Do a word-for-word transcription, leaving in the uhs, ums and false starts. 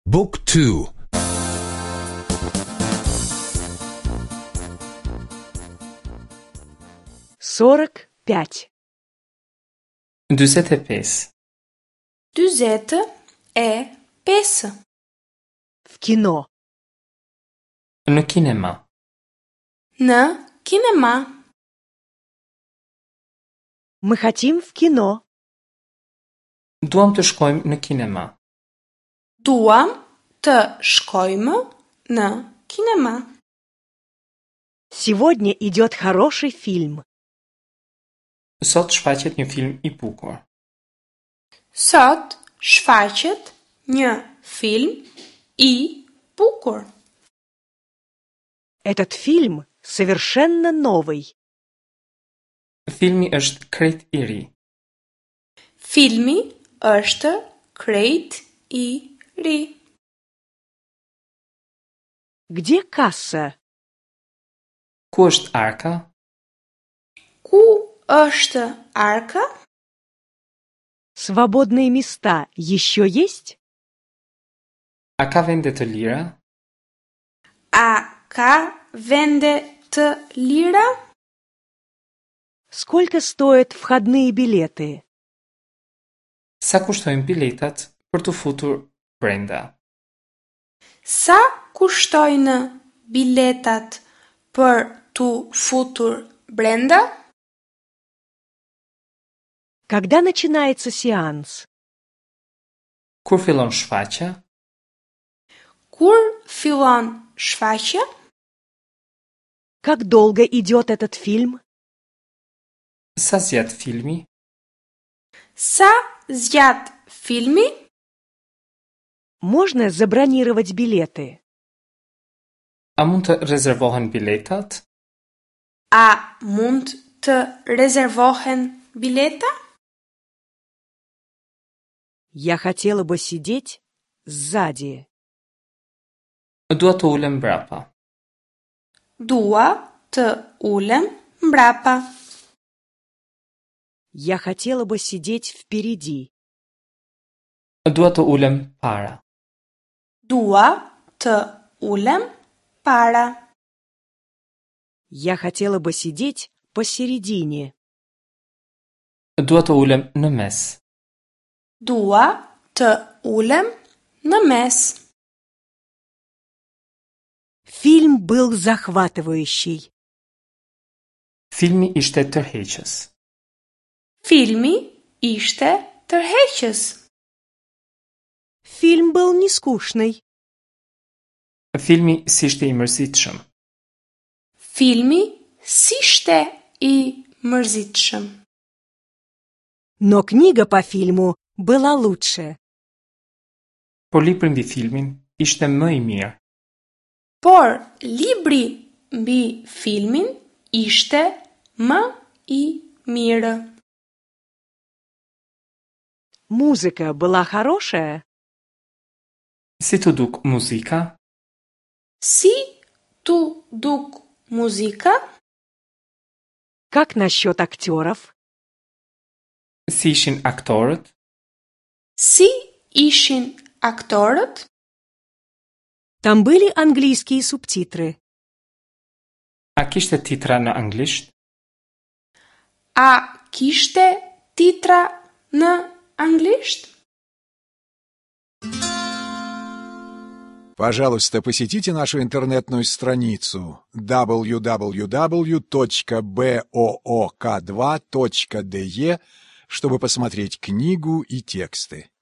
Book two. Сорок пять. Dyzet e pesë. Dyzet e pesë. В кино. Në kinema. Në kinema. Мы хотим в кино. Duam të shkojmë në kinema. Duam të shkojmë në kinema. Сегодня идет хороший фильм. Sot shfaqet një film i bukur. Sot shfaqet një film i bukur. Этот фильм совершенно новый. Filmi është krejt i ri. Filmi është krejt i ri. Где касса? Ku është arka? Ku është arka? Свободные места еще есть? A ka vende të lira? A ka vende të lira? Сколько стоят входные билеты? Sa kushtojnë biletat për t'u futur brenda? Sa kushtojnë biletat për t'u futur brenda? Когда начинается сеанс? Kur fillon shfaqja? Kur fillon shfaqja? Как долго идет этот фильм? Sa zgjat filmi? Sa zgjat filmi? Можно забронировать билеты? A mund të rezervohen biletat? A mund të rezervohen bileta? Я хотела бы сидеть сзади. Dua të ulem mbrapa. Dua të ulem mbrapa. Я хотела бы сидеть впереди. Dua të ulem para. Dua të ulem para. Я хотела бы сидеть посередине. Dua të ulem në mes. Dua të ulem në mes. Фильм был захватывающий. Filmi ishte tërheqës. Filmi ishte tërheqës. Фильм был не скучный. Filmi s'ishte i mërzitshëm. Filmi s'ishte i mërzitshëm. Но книга по фильму была лучше. Por libri mbi filmin ishte më i mirë. Por libri mbi filmin ishte më i mirë. Музыка была хорошая? Si t'u duk muzika? Si t'u duk muzika? Как насчет актеров? Si ishin aktorët? Si ishin aktorët? Там были английские субтитры. A kishte titra në anglisht? A kishte titra në anglisht? Пожалуйста, посетите нашу интернетную страницу дабл ю дабл ю дабл ю точка бэ о о ка два точка дэ е, чтобы посмотреть книгу и тексты.